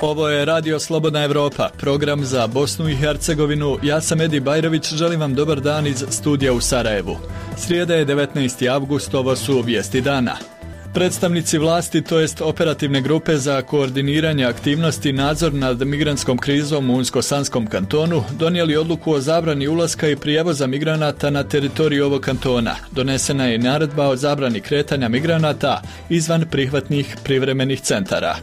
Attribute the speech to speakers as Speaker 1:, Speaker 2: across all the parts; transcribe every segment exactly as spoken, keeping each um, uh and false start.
Speaker 1: Ovo je Radio Slobodna Evropa, program za Bosnu i Hercegovinu. Ja sam Edi Bajrović, želim vam dobar dan iz studija u Sarajevu. Srijeda je devetnaesti avgust, ovo su vijesti dana. Predstavnici vlasti, to jest operativne grupe za koordiniranje aktivnosti i nadzor nad migrantskom krizom u Unsko-Sanskom kantonu, donijeli odluku o zabrani ulaska i prijevoza migranata na teritoriju ovog kantona. Donesena je i naredba o zabrani kretanja migranata izvan prihvatnih privremenih centara.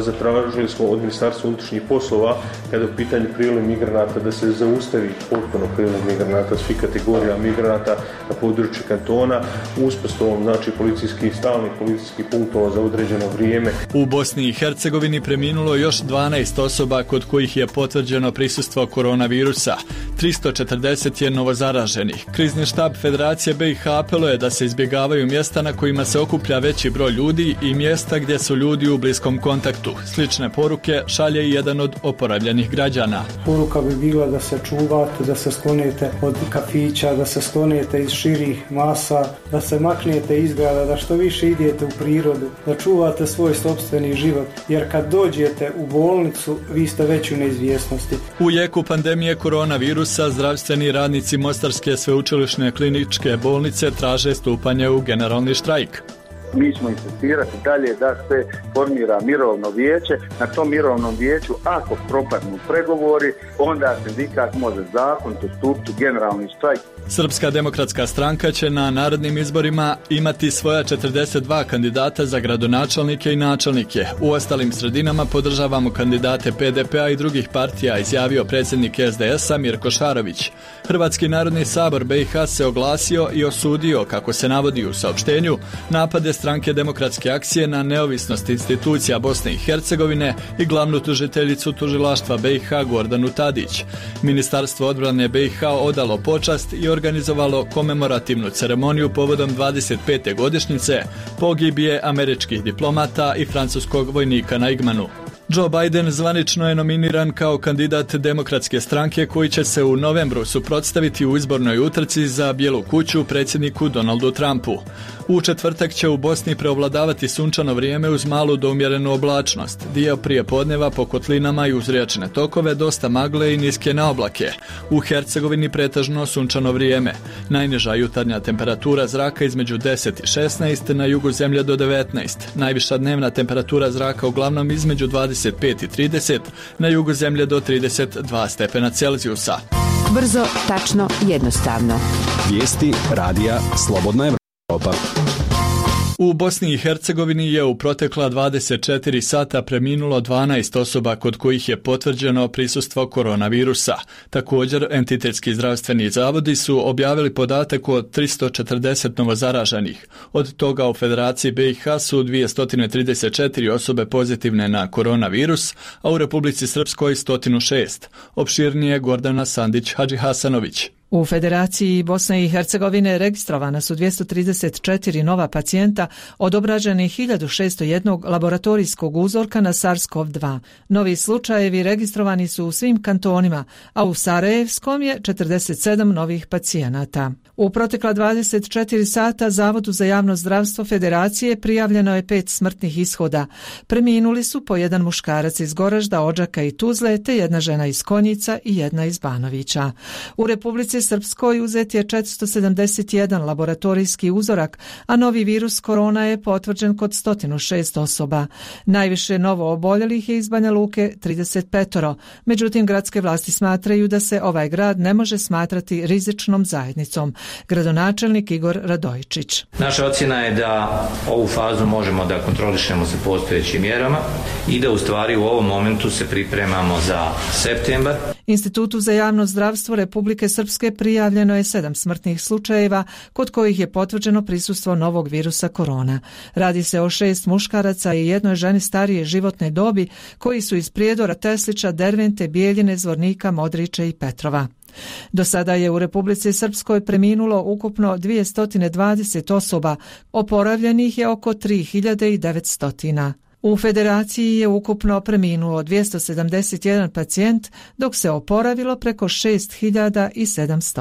Speaker 2: Zatražili smo od Ministarstva unutrašnjih poslova, kada je u pitanju priljev migranata, da se zaustavi potpuno priljev migranata, svih kategorija migranata na području kantona, uspostavom znači policijskih stalnih policijskih punktova za određeno vrijeme.
Speaker 1: U Bosni i Hercegovini preminulo još dvanaest osoba kod kojih je potvrđeno prisustvo koronavirusa. tristo četrdeset je novozaraženih. Krizni štab Federacije B i H apeluje da se izbjegavaju mjesta na kojima se okuplja veći broj ljudi i mjesta gdje su ljudi u bliskom kontaktu. Slične poruke šalje i jedan od oporavljenih građana.
Speaker 3: Poruka bi bila da se čuvate, da se sklonite od kafića, da se sklonite iz širih masa, da se maknete iz grada, da što više idete u prirodu, da čuvate svoj sopstveni život, jer kad dođete u bolnicu, vi ste već u neizvjesnosti.
Speaker 1: U jeku pandemije koronavirusa, zdravstveni radnici Mostarske sveučilišne kliničke bolnice traže stupanje u generalni štrajk.
Speaker 4: Mi ćemo insistirati dalje da se formira mirovno vijeće. Na tom mirovnom vijeću, ako propadnu pregovori, onda sindikat može zakonito stupiti u generalni štrajk.
Speaker 1: Srpska demokratska stranka će na narednim izborima imati svoja četrdeset dva kandidata za gradonačelnike i načelnike. U ostalim sredinama podržavamo kandidate P D P a i drugih partija, izjavio predsjednik S D S a Mirko Šarović. Hrvatski narodni sabor B i H se oglasio i osudio, kako se navodi u saopštenju, napade Stranke demokratske akcije na neovisnost institucija Bosne i Hercegovine i glavnu tužiteljicu tužilaštva B i H Gordanu Tadić. Ministarstvo odbrane B i H odalo počast i organizovalo komemorativnu ceremoniju povodom dvadeset pete godišnjice pogibije američkih diplomata i francuskog vojnika na Igmanu. Joe Biden zvanično je nominiran kao kandidat demokratske stranke koji će se u novembru suprotstaviti u izbornoj utrci za Bijelu kuću predsjedniku Donaldu Trumpu. U četvrtak će u Bosni preovladavati sunčano vrijeme uz malu do umjerenu oblačnost. Dio prije podneva po kotlinama i uz riječne tokove dosta magle i niske naoblake. U Hercegovini pretežno sunčano vrijeme. Najniža jutarnja temperatura zraka između deset i šesnaest, na jugu zemlje do devetnaest. Najviša dnevna temperatura zraka uglavnom između dvadeset pet i trideset, na jugu zemlje do trideset dva stepena Celzijusa.
Speaker 5: Brzo, tačno, jednostavno.
Speaker 6: Vijesti radija Slobodna Evropa.
Speaker 1: U Bosni i Hercegovini je u protekla dvadeset četiri sata preminulo dvanaest osoba kod kojih je potvrđeno prisustvo koronavirusa. Također, entitetski zdravstveni zavodi su objavili podatak o tristo četrdeset novozaraženih. Od toga u Federaciji B i H su dvjesto trideset četiri osobe pozitivne na koronavirus, a u Republici Srpskoj sto šest. Opširnije Gordana Sandić-Hadžihasanović.
Speaker 7: U Federaciji Bosne i Hercegovine registrovana su dvjesto trideset četiri nova pacijenta od obrađenih hiljadu šesto jedan laboratorijskog uzorka na SARS-CoV dva. Novi slučajevi registrovani su u svim kantonima, a u Sarajevskom je četrdeset sedam novih pacijenata. U protekla dvadeset četiri sata Zavodu za javno zdravstvo Federacije prijavljeno je pet smrtnih ishoda. Preminuli su po jedan muškarac iz Goražda, Odžaka i Tuzle, te jedna žena iz Konjica i jedna iz Banovića. U Republici Srpskoj uzet je četiristo sedamdeset jedan laboratorijski uzorak, a novi virus korona je potvrđen kod sto šest osoba. Najviše novo oboljelih je iz Banja Luke trideset pet. Međutim, gradske vlasti smatraju da se ovaj grad ne može smatrati rizičnom zajednicom. Gradonačelnik Igor Radojičić.
Speaker 8: Naša ocjena je da ovu fazu možemo da kontrolišemo sa postojećim mjerama i da u stvari u ovom momentu se pripremamo za septembar.
Speaker 7: Institutu za javno zdravstvo Republike Srpske prijavljeno je sedam smrtnih slučajeva kod kojih je potvrđeno prisustvo novog virusa korona. Radi se o šest muškaraca i jednoj ženi starije životne dobi koji su iz Prijedora, Teslića, Dervente, Bijeljine, Zvornika, Modrića i Petrova. Do sada je u Republici Srpskoj preminulo ukupno dvjesto dvadeset osoba, oporavljenih je oko tri hiljade devetsto. U federaciji je ukupno preminuo dvjesto sedamdeset jedan pacijent, dok se oporavilo preko šest hiljada sedamsto.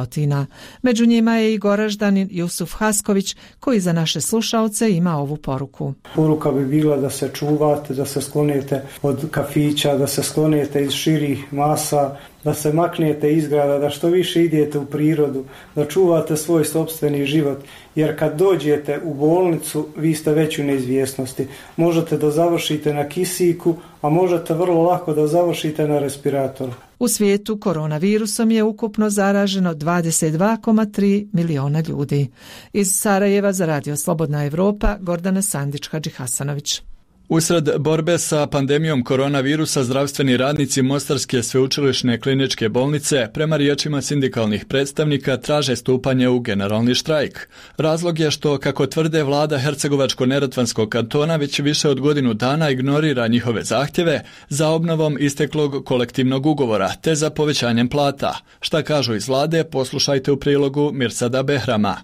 Speaker 7: Među njima je i Goraždanin Jusuf Hasković, koji za naše slušaoce ima ovu poruku.
Speaker 3: Poruka bi bila da se čuvate, da se sklonite od kafića, da se sklonite iz širih masa, da se maknete iz grada, da što više idete u prirodu, da čuvate svoj sopstveni život, jer kad dođete u bolnicu, vi ste već u neizvjesnosti. Možete da završite na kisiku, a možete vrlo lako da završite na respiratoru.
Speaker 7: U svijetu koronavirusom je ukupno zaraženo dvadeset dva zarez tri miliona ljudi. Iz Sarajeva za Radio Slobodna Evropa, Gordana Sandić-Hadži Hasanović.
Speaker 1: Usred borbe sa pandemijom koronavirusa zdravstveni radnici Mostarske sveučilišne kliničke bolnice prema riječima sindikalnih predstavnika traže stupanje u generalni štrajk. Razlog je što, kako tvrde vlada Hercegovačko-neretvanskog kantona, već više od godinu dana ignorira njihove zahtjeve za obnovom isteklog kolektivnog ugovora te za povećanjem plata. Šta kažu iz vlade, poslušajte u prilogu Mirsada Behrama.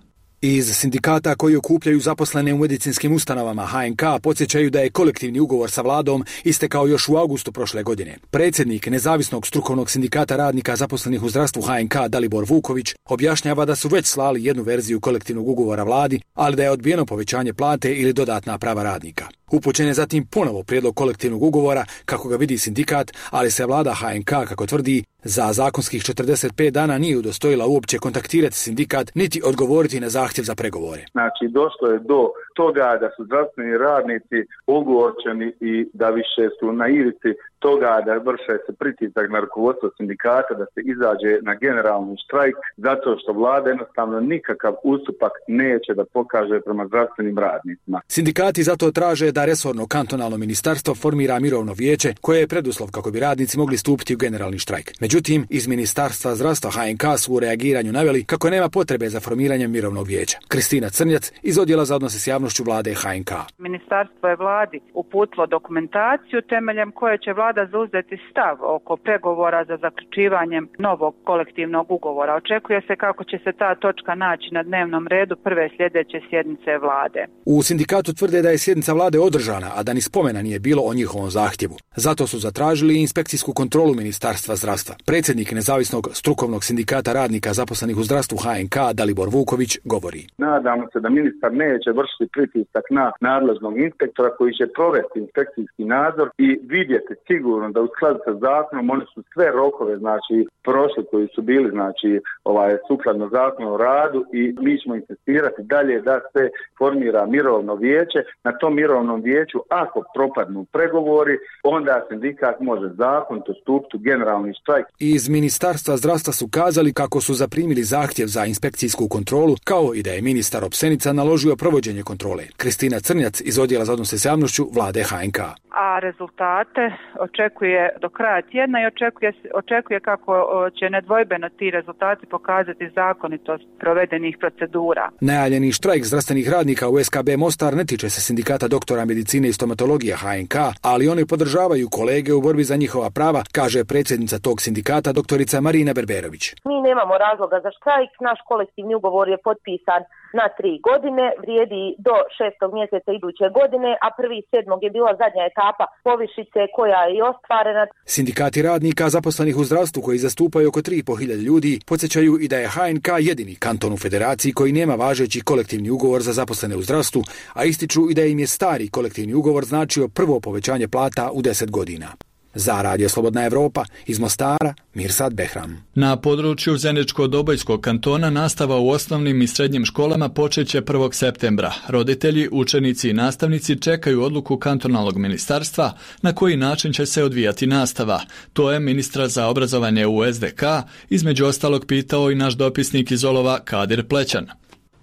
Speaker 9: Iz sindikata koji okupljaju zaposlene u medicinskim ustanovama H N K podsjećaju da je kolektivni ugovor sa vladom istekao još u augustu prošle godine. Predsjednik Nezavisnog strukovnog sindikata radnika zaposlenih u zdravstvu H N K Dalibor Vuković objašnjava da su već slali jednu verziju kolektivnog ugovora vladi, ali da je odbijeno povećanje plate ili dodatna prava radnika. Upućen je zatim ponovo prijedlog kolektivnog ugovora kako ga vidi sindikat, ali se vlada H N K, kako tvrdi, za zakonskih četrdeset pet dana nije udostojila uopće kontaktirati sindikat niti odgovoriti na zahtjev za pregovore.
Speaker 4: Znači, došlo je do toga da su zdravstveni radnici ogorčeni i da više su na ivici toga da vrše se pritisak na rukovodstvo sindikata da se izađe na generalni štrajk zato što vlada jednostavno nikakav ustupak neće da pokaže prema zdravstvenim radnicima.
Speaker 9: Sindikati zato traže da resorno kantonalno ministarstvo formira mirovno vijeće koje je preduslov kako bi radnici mogli stupiti u generalni štrajk. Međutim, iz Ministarstva zdravstva H N K su u reagiranju naveli kako nema potrebe za formiranjem mirovnog vijeća. Kristina Crnjac iz Odjela za odnose s javnošću vlade H N K.
Speaker 10: Ministarstvo je vladi uputilo dokumentaciju temeljem koje će vlada zauzeti stav oko pregovora za zaključivanjem novog kolektivnog ugovora. Očekuje se kako će se ta točka naći na dnevnom redu prve sljedeće sjednice vlade.
Speaker 9: U sindikatu tvrde da je sjednica vlade održana, a da ni spomena nije bilo o njihovom zahtjevu. Zato su zatražili inspekcijsku kontrolu Ministarstva zdravstva. Predsjednik Nezavisnog strukovnog sindikata radnika zaposlenih u zdravstvu H N K Dalibor Vuković govori.
Speaker 4: Nadamo se da ministar neće vršiti pritisak na nadležnog inspektora koji će provesti inspekcijski nadzor i vidjeti sigurno da u skladu sa zakonom oni su sve rokove znači prošli koji su bili znači ovaj sukladno zakonu o radu i mi ćemo insistirati dalje da se formira mirovno vijeće. Na tom mirovnom vijeću ako propadnu pregovori onda sindikat može zakonito stupiti u generalni štrajk.
Speaker 9: Iz Ministarstva zdravstva su kazali kako su zaprimili zahtjev za inspekcijsku kontrolu, kao i da je ministar Opsenica naložio provođenje kontrole. Kristina Crnjac iz Odjela za odnose s javnošću vlade H N K.
Speaker 10: A rezultate očekuje do kraja tjedna i očekuje, očekuje kako će nedvojbeno ti rezultati pokazati zakonitost provedenih procedura.
Speaker 9: Najavljeni štrajk zdravstvenih radnika u S K B Mostar ne tiče se sindikata doktora medicine i stomatologije H N K, ali oni podržavaju kolege u borbi za njihova prava, kaže predsjednica tog sindikata doktorica Marina Berberović.
Speaker 11: Mi nemamo razloga za štrajk, naš kolektivni ugovor je potpisan na tri godine, vrijedi do šestog mjeseca iduće godine, a prvi sedmog je bila zadnja etapa povišice koja je i ostvarena.
Speaker 9: Sindikati radnika zaposlenih u zdravstvu koji zastupaju oko tri i pol hiljade ljudi podsjećaju i da je H N K jedini kanton u federaciji koji nema važeći kolektivni ugovor za zaposlene u zdravstvu, a ističu i da im je stari kolektivni ugovor značio prvo povećanje plata u deset godina. Za Radio Slobodna Evropa, iz Mostara, Mirsad Behram.
Speaker 1: Na području Zeničko-Dobojskog kantona nastava u osnovnim i srednjim školama počeće prvog septembra. Roditelji, učenici i nastavnici čekaju odluku kantonalnog ministarstva na koji način će se odvijati nastava. To je ministra za obrazovanje u S D K između ostalog pitao i naš dopisnik iz Olova Kadir Plećan.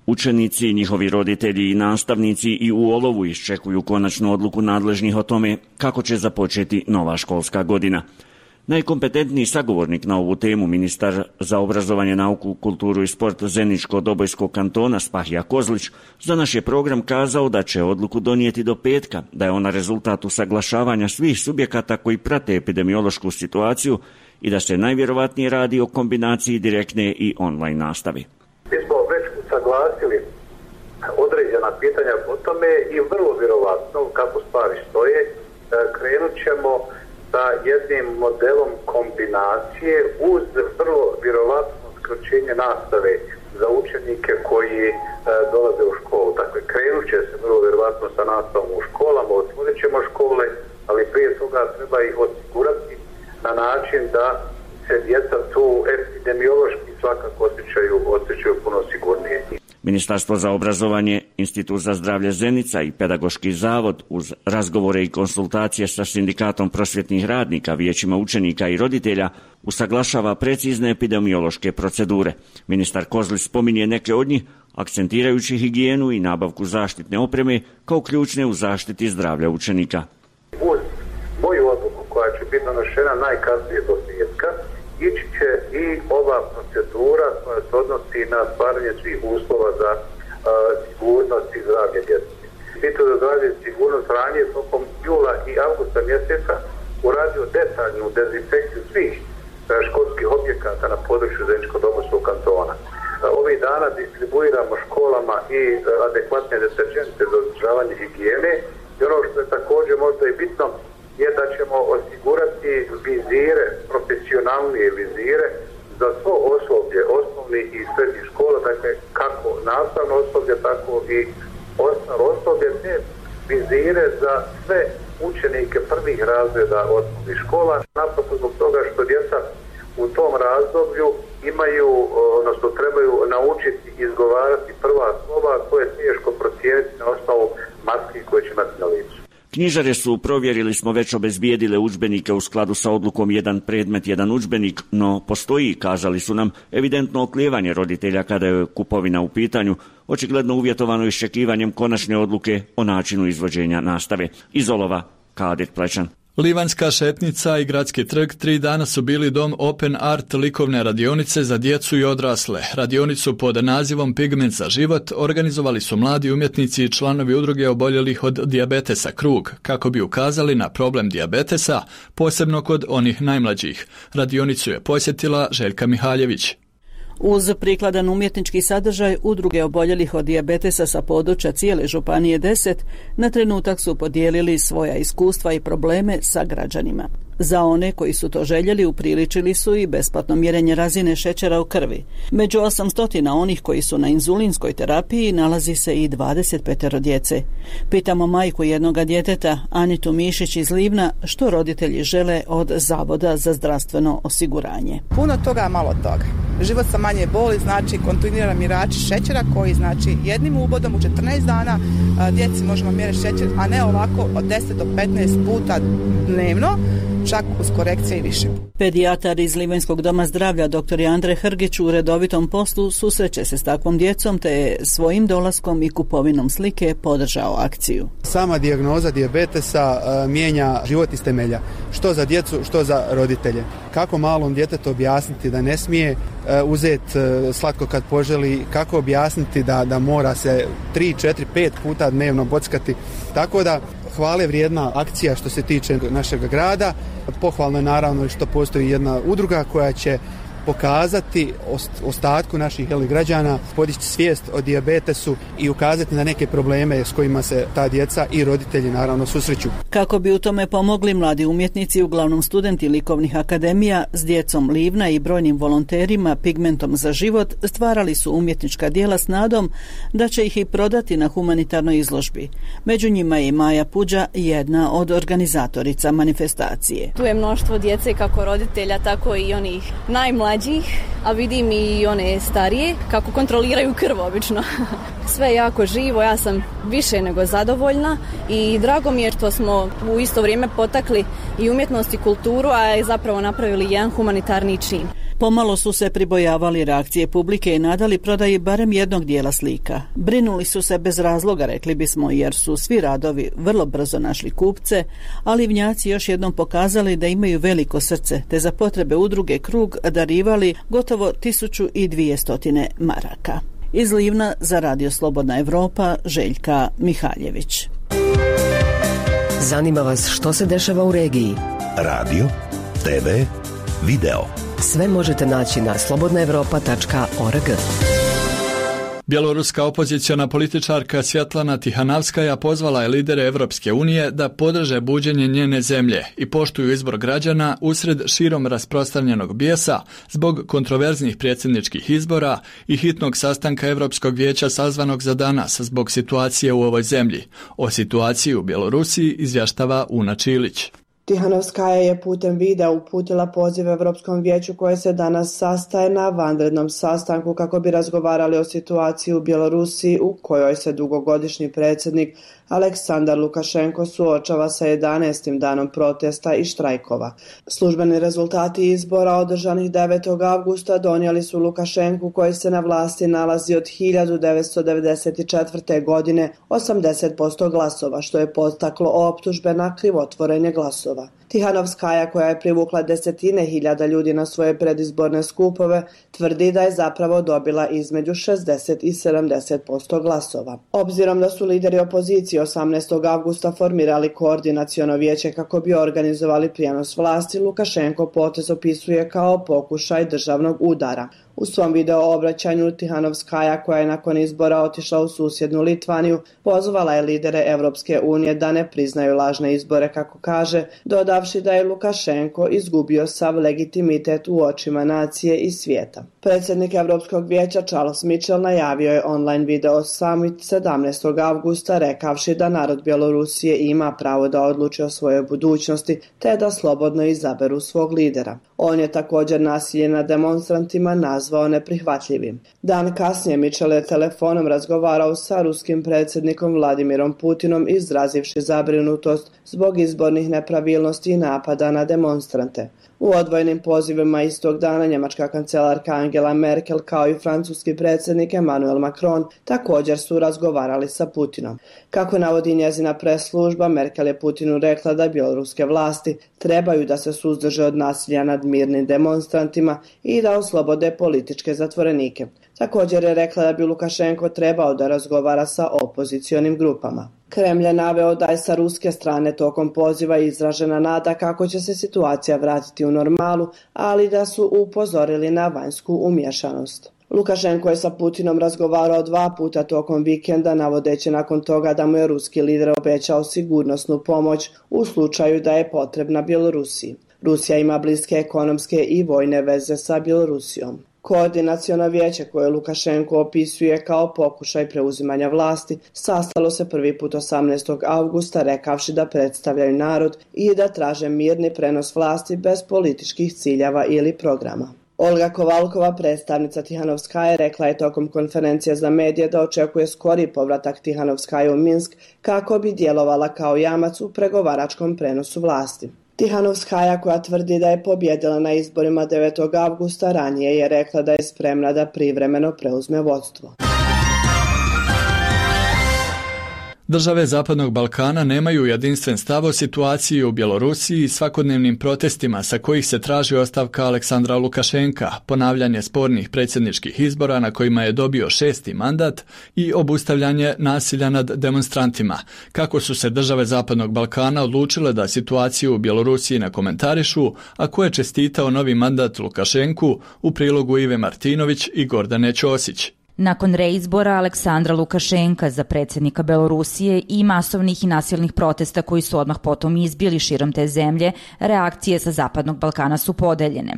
Speaker 12: Učenici, njihovi roditelji i nastavnici i u Olovu iščekuju konačnu odluku nadležnih o tome kako će započeti nova školska godina. Najkompetentniji sagovornik na ovu temu, ministar za obrazovanje, nauku, kulturu i sport Zeničko-Dobojskog kantona Spahija Kozlić, za naš je program kazao da će odluku donijeti do petka, da je ona rezultat usaglašavanja svih subjekata koji prate epidemiološku situaciju i da se najvjerovatnije radi o kombinaciji direktne i online nastavi.
Speaker 13: Mi smo već usaglasili određena pitanja o tome i vrlo vjerovatno kako stvari stoje, krenut ćemo sa jednim modelom kombinacije uz vrlo vjerovatno skraćenje nastave za učenike koji e, dolaze u školu. Dakle, krenut će se vrlo vjerovatno sa nastavom u školama, otvorit ćemo škole, ali prije toga treba ih osigurati na način da se djeca tu epidemiološki svakako osjećaju, osjećaju puno sigurnije.
Speaker 12: Ministarstvo za obrazovanje, Institut za zdravlje Zenica i Pedagoški zavod uz razgovore i konsultacije sa sindikatom prosvjetnih radnika, vijećima učenika i roditelja usaglašava precizne epidemiološke procedure. Ministar Kozlić spominje neke od njih, akcentirajući higijenu i nabavku zaštitne opreme kao ključne u zaštiti zdravlja učenika.
Speaker 13: Uz moju odluku koja će biti donošena najkasnije do petka, ići će i ova procedura koja se odnosi na stvaranje svih uslova za uh, sigurnost i zdravlje djece. Institut za zdravlje i sigurnost ranije tokom jula i avgusta mjeseca uradio detaljnu dezinfekciju svih uh, školskih objekata na području Zeničko-Dobojskog kantona. Uh, ovih dana distribuiramo školama i uh, adekvatne deterđente za održavanje higijene i ono što je također možda i bitno je da ćemo osigurati vizire, profesionalnije vizire za svo osoblje, osnovnih i srednjih škola, dakle kako nastavno osoblje, tako i ostalo osoblje, te vizire za sve učenike prvih razreda osnovnih škola, naprosto zbog toga što djeca u tom razdoblju imaju, odnosno trebaju naučiti izgovarati prva slova koje je teško procijeniti na osnovu maski koje će imati na licu.
Speaker 12: Knjižare su, provjerili smo, već obezbijedile udžbenike u skladu sa odlukom jedan predmet, jedan udžbenik, no postoji, kazali su nam, evidentno oklijevanje roditelja kada je kupovina u pitanju, očigledno uvjetovano iščekivanjem konačne odluke o načinu izvođenja nastave. Iz Olova, Kadir Plečan.
Speaker 1: Livanjska šetnica i Gradski trg tri dana su bili dom Open Art likovne radionice za djecu i odrasle. Radionicu pod nazivom Pigment za život organizovali su mladi umjetnici i članovi udruge oboljelih od dijabetesa Krug, kako bi ukazali na problem dijabetesa, posebno kod onih najmlađih. Radionicu je posjetila Željka Mihaljević.
Speaker 14: Uz prikladan umjetnički sadržaj, udruge oboljelih od dijabetesa sa područja cijele županije deset na trenutak su podijelili svoja iskustva i probleme sa građanima. Za one koji su to željeli upriličili su i besplatno mjerenje razine šećera u krvi. Među osamsto onih koji su na inzulinskoj terapiji nalazi se i dvadeset pet djece. Pitamo majku jednoga djeteta, Anitu Mišić iz Livna, što roditelji žele od Zavoda za zdravstveno osiguranje.
Speaker 15: Puno toga, malo toga. Život sa manje boli znači kontinuiran mjerač šećera koji znači jednim ubodom u četrnaest dana djeci možemo mjeriti šećer, a ne ovako od deset do petnaest puta dnevno, čak uz korekcije i više.
Speaker 14: Pedijatar iz Livanjskog doma zdravlja dr. Andre Hrgić u redovitom poslu susreće se s takvom djecom te je svojim dolaskom i kupovinom slike podržao akciju.
Speaker 16: Sama dijagnoza dijabetesa uh, mijenja život iz temelja, što za djecu, što za roditelje. Kako malom djetetu objasniti da ne smije uh, uzeti uh, slatko kad poželi, kako objasniti da, da mora se tri, četiri, pet puta dnevno bockati. Tako da hvale vrijedna akcija što se tiče našeg grada. Pohvalno je naravno što postoji jedna udruga koja će pokazati ostatku naših građana, podići svijest o dijabetesu i ukazati na neke probleme s kojima se ta djeca i roditelji naravno susreću.
Speaker 14: Kako bi u tome pomogli mladi umjetnici, uglavnom studenti likovnih akademija, s djecom Livna i brojnim volonterima Pigmentom za život stvarali su umjetnička djela s nadom da će ih i prodati na humanitarnoj izložbi. Među njima je i Maja Puđa, jedna od organizatorica manifestacije.
Speaker 17: Tu je mnoštvo djece, kako roditelja, tako i onih najmlađih, a vidim i one starije kako kontroliraju krv obično. Sve je jako živo, ja sam više nego zadovoljna i drago mi je što smo u isto vrijeme potakli i umjetnost i kulturu, a je zapravo napravili jedan humanitarni čin.
Speaker 14: Pomalo su se pribojavali reakcije publike i nadali prodaji barem jednog dijela slika. Brinuli su se bez razloga, rekli bismo, jer su svi radovi vrlo brzo našli kupce, a Livnjaci još jednom pokazali da imaju veliko srce, te za potrebe udruge Krug darivali gotovo tisuću dvjesto maraka. Iz Livna za Radio Slobodna Evropa, Željka Mihaljević.
Speaker 18: Zanima vas što se dešava u regiji?
Speaker 19: Radio, te ve, video.
Speaker 18: Sve možete naći na slobodna evropa tačka org.
Speaker 1: Bjeloruska opoziciona političarka Svjetlana Tihanavskaja pozvala je lidere Evropske unije da podrže buđenje njene zemlje i poštuju izbor građana usred širom rasprostranjenog bijesa zbog kontroverznih predsjedničkih izbora i hitnog sastanka Europskog vijeća sazvanog za danas zbog situacije u ovoj zemlji. O situaciji u Bjelorusiji izvještava Una Čilić.
Speaker 20: Tihanovskaja je putem videa uputila poziv Europskom vijeću koje se danas sastaje na vanrednom sastanku kako bi razgovarali o situaciji u Bjelorusiji u kojoj se dugogodišnji predsjednik Aleksandar Lukašenko suočava sa jedanaestim danom protesta i štrajkova. Službeni rezultati izbora održanih devetog avgusta donijeli su Lukašenku koji se na vlasti nalazi od hiljadu devetsto devedeset četvrte. godine osamdeset posto glasova, što je podstaklo optužbe na krivotvorenje glasova. Tihanovskaja, koja je privukla desetine hiljada ljudi na svoje predizborne skupove, tvrdi da je zapravo dobila između šezdeset i sedamdeset posto glasova. Obzirom da su lideri opozicije osamnaestog avgusta formirali koordinaciono vijeće kako bi organizovali prijenos vlasti, Lukašenko potez opisuje kao pokušaj državnog udara. U svom video obraćanju Tihanovskaja, koja je nakon izbora otišla u susjednu Litvaniju, pozvala je lidere Evropske unije da ne priznaju lažne izbore, kako kaže, dodavši da je Lukašenko izgubio sav legitimitet u očima nacije i svijeta. Predsjednik Europskog vijeća Charles Michel najavio je online video summit sedamnaestog avgusta rekavši da narod Bjelorusije ima pravo da odluči o svojoj budućnosti te da slobodno izaberu svog lidera. On je također nasilje nad demonstrantima nazvao neprihvatljivim. Dan kasnije Michel je telefonom razgovarao sa ruskim predsjednikom Vladimirom Putinom izrazivši zabrinutost zbog izbornih nepravilnosti i napada na demonstrante. U odvojenim pozivima istog dana njemačka kancelarka Angela Merkel kao i francuski predsjednik Emmanuel Macron također su razgovarali sa Putinom. Kako navodi njezina press-služba, Merkel je Putinu rekla da bjeloruske vlasti trebaju da se suzdrže od nasilja nad mirnim demonstrantima i da oslobode političke zatvorenike. Također je rekla da bi Lukašenko trebao da razgovara sa opozicionim grupama. Kremlj je naveo da je sa ruske strane tokom poziva izražena nada kako će se situacija vratiti u normalu, ali da su upozorili na vanjsku umješanost. Lukašenko je sa Putinom razgovarao dva puta tokom vikenda, navodeći nakon toga da mu je ruski lider obećao sigurnosnu pomoć u slučaju da je potrebna Bjelorusiji. Rusija ima bliske ekonomske i vojne veze sa Bjelorusijom. Koordinaciono vijeće koje Lukašenko opisuje kao pokušaj preuzimanja vlasti sastalo se prvi put osamnaestog avgusta rekavši da predstavljaju narod i da traže mirni prenos vlasti bez političkih ciljeva ili programa. Olga Kovalkova, predstavnica Tihanovskaje, rekla je tokom konferencije za medije da očekuje skori povratak Tihanovskaje u Minsk kako bi djelovala kao jamac u pregovaračkom prenosu vlasti. Tihanovskaja, koja tvrdi da je pobjedila na izborima devetog avgusta, ranije je rekla da je spremna da privremeno preuzme vodstvo.
Speaker 1: Države Zapadnog Balkana nemaju jedinstven stav o situaciji u Bjelorusiji i svakodnevnim protestima sa kojih se traži ostavka Aleksandra Lukašenka, ponavljanje spornih predsjedničkih izbora na kojima je dobio šesti mandat i obustavljanje nasilja nad demonstrantima. Kako su se države Zapadnog Balkana odlučile da situaciju u Bjelorusiji ne komentarišu, a ko je čestitao novi mandat Lukašenku, u prilogu Ive Martinović i Gordane Ćosić.
Speaker 21: Nakon reizbora Aleksandra Lukašenka za predsjednika Belorusije i masovnih i nasilnih protesta koji su odmah potom izbili širom te zemlje, reakcije sa Zapadnog Balkana su podeljene.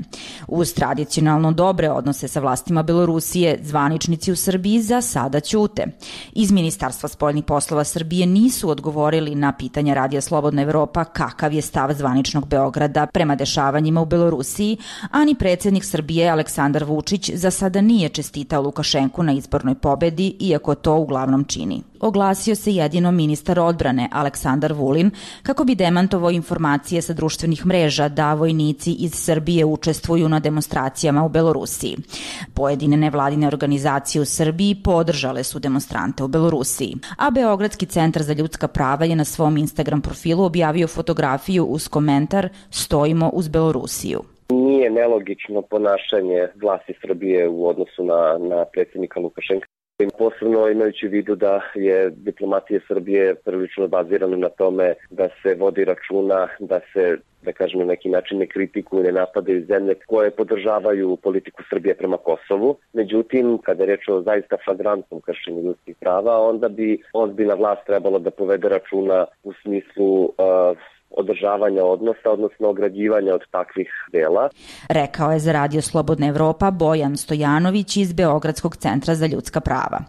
Speaker 21: Uz tradicionalno dobre odnose sa vlastima Belorusije, zvaničnici u Srbiji za sada ćute. Iz Ministarstva spoljnih poslova Srbije nisu odgovorili na pitanja Radija Slobodna Evropa kakav je stav zvaničnog Beograda prema dešavanjima u Belorusiji, ani predsjednik Srbije Aleksandar Vučić za sada nije čestitao Lukašenku na izbornoj pobedi, iako to uglavnom čini. Oglasio se jedino ministar odbrane Aleksandar Vulin kako bi demantovao informacije sa društvenih mreža da vojnici iz Srbije učestvuju na demonstracijama u Belorusiji. Pojedine nevladine organizacije u Srbiji podržale su demonstrante u Belorusiji, a Beogradski centar za ljudska prava je na svom Instagram profilu objavio fotografiju uz komentar "Stojimo uz Belorusiju".
Speaker 22: Nije nelogično ponašanje vlasti Srbije u odnosu na, na predsjednika Lukašenka.
Speaker 2: Posebno imajući u vidu da je diplomatija Srbije prilično bazirana na tome da se vodi računa, da se, da kažem, na neki način ne kritikuju, ne napadaju zemlje koje podržavaju politiku Srbije prema Kosovu. Međutim, kada je reč o zaista flagrantnom kršenju ljudskih prava, onda bi ozbiljna vlast trebalo da povede računa u smislu uh, održavanja odnosa, odnosno ograđivanja od takvih dela.
Speaker 21: Rekao je za Radio Slobodna Evropa Bojan Stojanović iz Beogradskog centra za ljudska prava.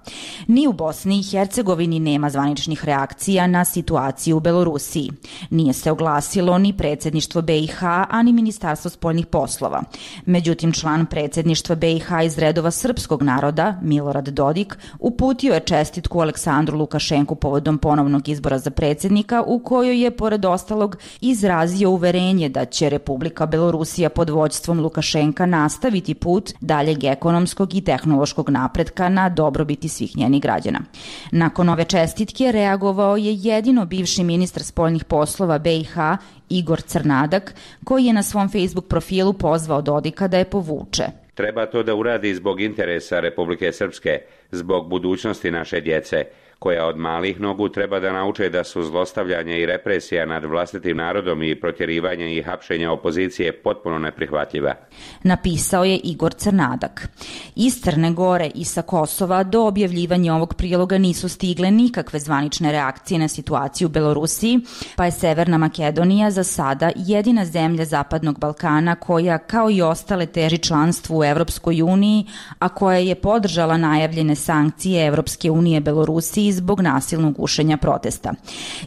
Speaker 21: Ni u Bosni i Hercegovini nema zvaničnih reakcija na situaciju u Belorusiji. Nije se oglasilo ni predsjedništvo B i H, a ni Ministarstvo spoljnih poslova. Međutim, član predsjedništva B i H iz redova srpskog naroda, Milorad Dodik, uputio je čestitku Aleksandru Lukašenku povodom ponovnog izbora za predsjednika, u kojoj je, pored ostalog, izrazio uverenje da će Republika Belorusija pod vođstvom Lukašenka nastaviti put daljeg ekonomskog i tehnološkog napretka na dobrobiti svih njenih građana. Nakon ove čestitke reagovao je jedino bivši ministar spoljnih poslova B i H Igor Crnadak, koji je na svom Facebook profilu pozvao Dodika da je povuče.
Speaker 22: Treba to da uradi zbog interesa Republike Srpske, zbog budućnosti naše djece, koja od malih nogu treba da nauče da su zlostavljanje i represija nad vlastitim narodom i protjerivanje i hapšenje opozicije potpuno neprihvatljiva.
Speaker 21: Napisao je Igor Crnadak. Iz Crne Gore i sa Kosova do objavljivanja ovog priloga nisu stigle nikakve zvanične reakcije na situaciju u Belorusiji, pa je Severna Makedonija za sada jedina zemlja Zapadnog Balkana koja, kao i ostale, teži članstvu u Evropskoj uniji, a koja je podržala najavljene sankcije Evropske unije Belorusiji zbog nasilnog gušenja protesta.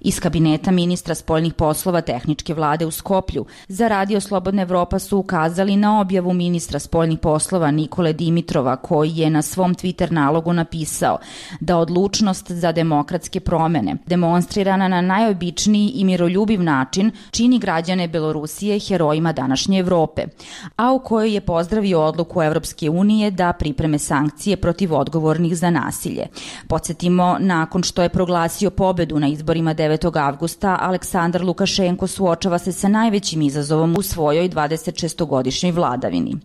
Speaker 21: Iz kabineta ministra spoljnih poslova tehničke vlade u Skoplju za Radio Slobodna Evropa su ukazali na objavu ministra spoljnih poslova Nikole Dimitrova, koji je na svom Twitter nalogu napisao da odlučnost za demokratske promene, demonstrirana na najobičniji i miroljubiv način, čini građane Belorusije herojima današnje Evrope, a u kojoj je pozdravio odluku Evropske unije da pripreme sankcije protiv odgovornih za nasilje. Podsjetimo, nakon što je proglasio pobedu na izborima devetog avgusta, Aleksandar Lukašenko suočava se sa najvećim izazovom u svojoj dvadesetšestogodišnjoj vladavini.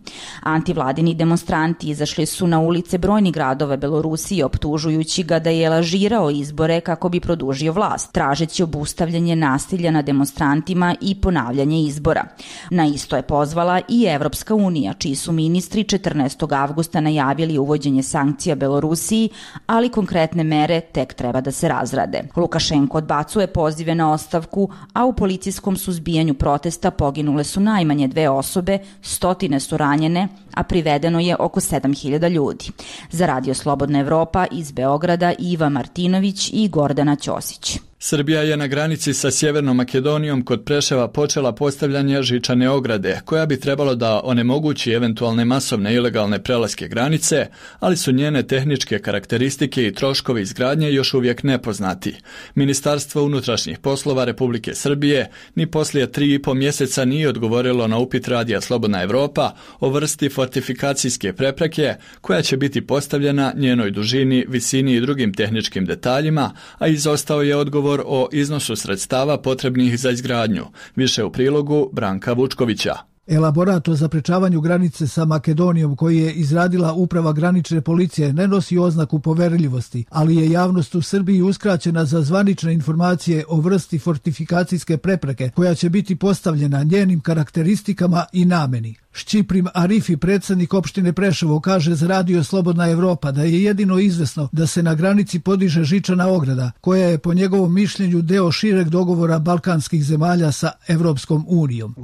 Speaker 21: Antivladini demonstranti izašli su na ulice brojnih gradova Belorusije, optužujući ga da je lažirao izbore kako bi produžio vlast, tražeći obustavljanje nasilja na demonstrantima i ponavljanje izbora. Na isto je pozvala i Evropska unija, čiji su ministri četrnaestog avgusta najavili uvođenje sankcija Belorusiji, ali konkretne mere tek treba da se razrade. Lukašenko odbacuje pozive na ostavku, a u policijskom suzbijanju protesta poginule su najmanje dve osobe, stotine su ranjene, a privedeno je oko sedam hiljada ljudi. Za Radio Slobodna Evropa iz Beograda Iva Martinović i Gordana Ćosić.
Speaker 1: Srbija je na granici sa Sjevernom Makedonijom kod Preševa počela postavljanje žičane ograde, koja bi trebalo da onemogući eventualne masovne ilegalne prelaske granice, ali su njene tehničke karakteristike i troškovi izgradnje još uvijek nepoznati. Ministarstvo unutrašnjih poslova Republike Srbije ni poslije tri i po mjeseca nije odgovorilo na upit Radija Slobodna Evropa o vrsti fortifikacijske prepreke koja će biti postavljena, njenoj dužini, visini i drugim tehničkim detaljima, a izostao je odgovor o iznosu sredstava potrebnih za izgradnju. Više u prilogu Branka Vučkovića.
Speaker 23: Elaborat o zaprečavanju granice sa Makedonijom koji je izradila Uprava granične policije ne nosi oznaku poverljivosti, ali je javnost u Srbiji uskraćena za zvanične informacije o vrsti fortifikacijske prepreke koja će biti postavljena, njenim karakteristikama i nameni. Šćiprim Arifi, predsjednik opštine Preševo, kaže za Radio Slobodna Evropa da je jedino izvesno da se na granici podiže žičana ograda, koja je po njegovom mišljenju deo šireg dogovora balkanskih zemalja sa Evropskom unijom.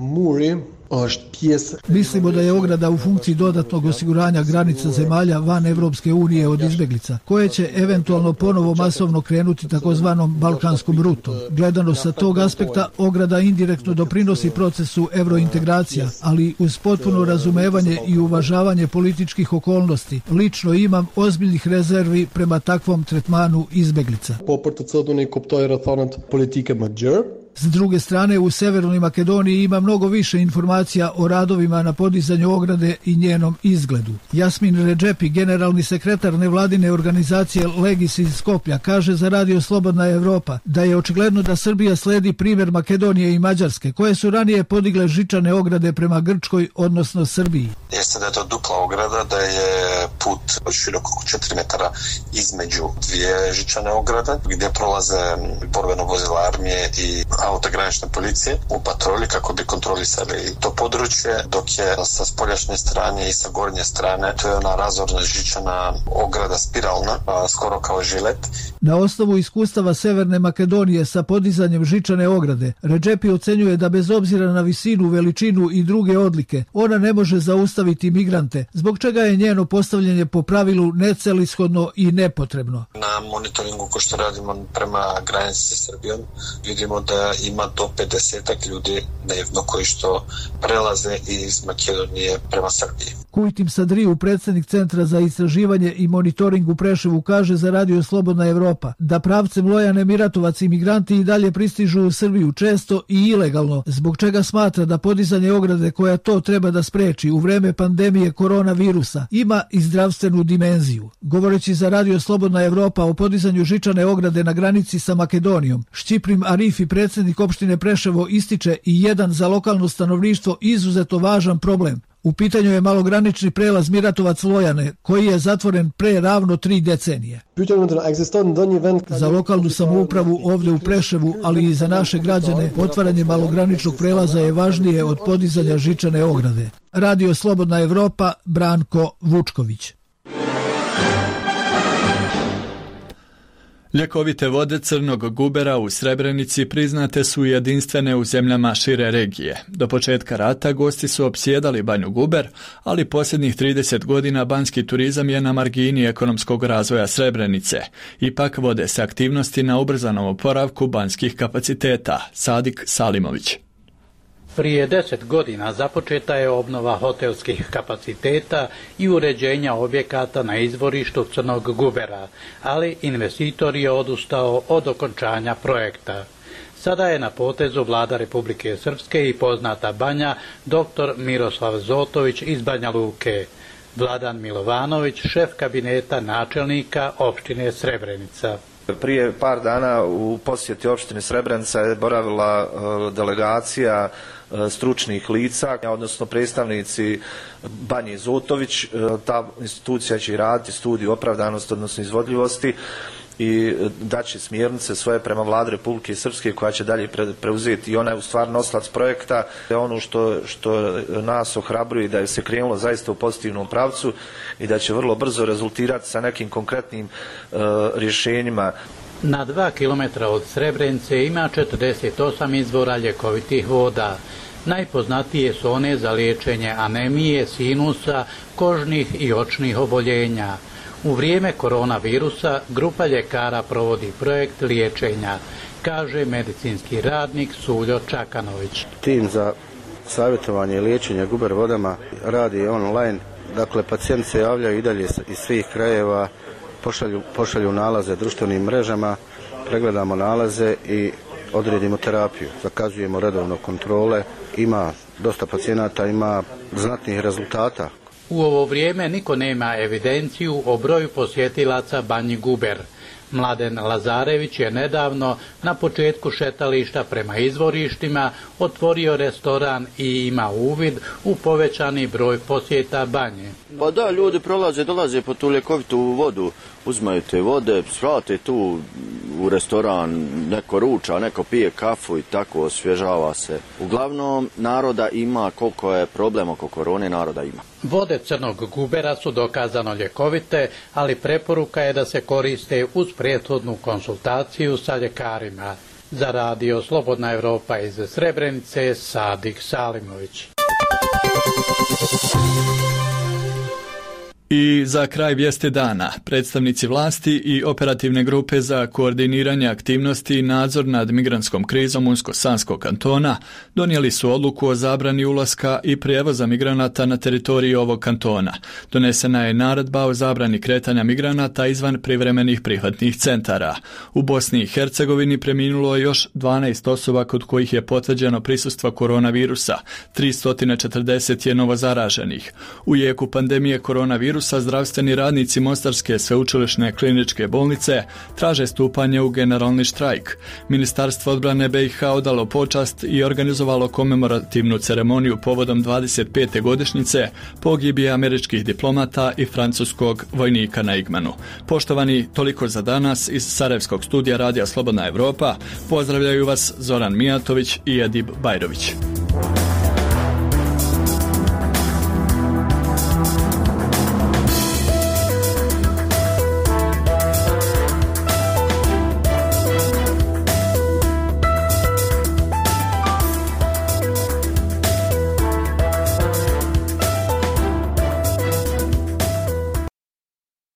Speaker 23: Mislimo da je ograda u funkciji dodatnog osiguranja granica zemalja van Evropske unije od izbeglica, koje će eventualno ponovo masovno krenuti takozvanom balkanskom rutom. Gledano sa tog aspekta, ograda indirektno doprinosi procesu evrointegracija, ali uz potpuno razumevanje i uvažavanje političkih okolnosti. Lično imam ozbiljnih rezervi prema takvom tretmanu izbeglica. S druge strane, u Severnoj Makedoniji ima mnogo više informacija o radovima na podizanju ograde i njenom izgledu. Jasmin Redžepi, generalni sekretar nevladine organizacije Legis iz Skoplja, kaže za Radio Slobodna Evropa da je očigledno da Srbija sledi primjer Makedonije i Mađarske, koje su ranije podigle žičane ograde prema Grčkoj, odnosno Srbiji.
Speaker 5: Jeste da je to dupla ograda, da je put širok oko četiri metara između dvije žičane ograde, gdje prolaze borbeno vozila armije i auto granične policije u patrolji kako bi kontrolisali to područje, dok je sa spoljašnje strane i sa gornje strane to je ona razorna žičana ograda spiralna, skoro kao žilet.
Speaker 23: Na osnovu iskustava Severne Makedonije sa podizanjem žičane ograde, Redžepi ocenjuje da bez obzira na visinu, veličinu i druge odlike, ona ne može zaustaviti migrante, zbog čega je njeno postavljanje po pravilu necelishodno i nepotrebno.
Speaker 5: Na monitoringu ko što radimo prema granici sa Srbijom, vidimo da ima do pedeset ljudi dnevno koji što prelaze iz Makedonije prema Srbiji.
Speaker 23: Kujtim Sadriju, predsjednik Centra za istraživanje i monitoring u Preševu, kaže za Radio Slobodna Evropa da pravcem Lojane Miratovac imigranti i dalje pristižu u Srbiju često i ilegalno, zbog čega smatra da podizanje ograde koja to treba da spreči u vreme pandemije koronavirusa ima i zdravstvenu dimenziju. Govoreći za Radio Slobodna Evropa o podizanju žičane ograde na granici sa Makedonijom, Šćiprim Arifi, predsjednik opštine Preševo, ističe i jedan za lokalno stanovništvo izuzetno važan problem. U pitanju je malogranični prelaz Miratovac Lojane, koji je zatvoren pre ravno tri decenije. Za lokalnu samoupravu ovdje u Preševu, ali i za naše građane, otvaranje malograničnog prelaza je važnije od podizanja žičane ograde. Radio Slobodna Evropa, Branko Vučković.
Speaker 1: Ljekovite vode crnog gubera u Srebrenici priznate su jedinstvene u zemljama šire regije. Do početka rata gosti su opsjedali Banju Guber, ali posljednjih trideset godina banjski turizam je na margini ekonomskog razvoja Srebrenice. Ipak vode se aktivnosti na ubrzanom oporavku banjskih kapaciteta. Sadik Salimović.
Speaker 6: Prije deset godina započeta je obnova hotelskih kapaciteta i uređenja objekata na izvorištu Crnog Gubera, ali investitor je odustao od okončanja projekta. Sada je na potezu vlada Republike Srpske i poznata banja doktor Miroslav Zotović iz Banja Luke. Vladan Milovanović, šef kabineta načelnika opštine Srebrenica.
Speaker 8: Prije par dana u posjeti opštine Srebrenica je boravila delegacija stručnih lica, odnosno predstavnici Banje Zotović. Ta institucija će raditi studiju opravdanosti, odnosno izvodljivosti i daće smjernice svoje prema vladi Republike Srpske koja će dalje preuzeti i ona je u stvari nosilac projekta. Ono što, što nas ohrabruje da je se krenulo zaista u pozitivnom pravcu i da će vrlo brzo rezultirati sa nekim konkretnim uh, rješenjima.
Speaker 6: Na dva kilometra od Srebrenice ima četrdeset osam izvora ljekovitih voda. Najpoznatije su one za liječenje anemije, sinusa, kožnih i očnih oboljenja. U vrijeme koronavirusa grupa ljekara provodi projekt liječenja, kaže medicinski radnik Suljo Čakanović.
Speaker 24: Tim za savjetovanje i liječenje guber vodama radi online, dakle pacijenti se javljaju i dalje iz svih krajeva, pošalju, pošalju nalaze društvenim mrežama, pregledamo nalaze i odredimo terapiju, zakazujemo redovno kontrole, ima dosta pacijenata, ima znatnih rezultata.
Speaker 6: U ovo vrijeme niko nema evidenciju o broju posjetilaca Banji Guber. Mladen Lazarević je nedavno na početku šetališta prema izvorištima otvorio restoran i ima uvid u povećani broj posjeta banje.
Speaker 25: Pa da, ljudi prolaze, dolaze po tu ljekovitu vodu, uzmaju te vode, svrate tu u restoran, neko ruča, neko pije kafu i tako osvježava se. Uglavnom, naroda ima, koliko je problem oko korone, naroda ima.
Speaker 6: Vode Crnog Gubera su dokazano ljekovite, ali preporuka je da se koriste uz prethodnu konsultaciju sa ljekarima. Za Radio Slobodna Evropa iz Srebrenice, Sadik Salimović.
Speaker 1: I za kraj vijesti dana, predstavnici vlasti i operativne grupe za koordiniranje aktivnosti i nadzor nad migrantskom krizom Unsko-Sanskog kantona donijeli su odluku o zabrani ulaska i prijevoza migranata na teritoriji ovog kantona. Donesena je naredba o zabrani kretanja migranata izvan privremenih prihvatnih centara. U Bosni i Hercegovini preminulo je još dvanaest osoba kod kojih je potvrđeno prisustvo koronavirusa, tristo četrdeset je novozaraženih. U jeku pandemije koronavirusa sa zdravstveni radnici Mostarske sveučilišne kliničke bolnice traže stupanje u generalni štrajk. Ministarstvo odbrane B i H odalo počast i organizovalo komemorativnu ceremoniju povodom dvadeset pete godišnjice pogibije američkih diplomata i francuskog vojnika na Igmanu. Poštovani, toliko za danas iz Sarajevskog studija Radija Slobodna Evropa. Pozdravljaju vas Zoran Mijatović i Edib Bajrović.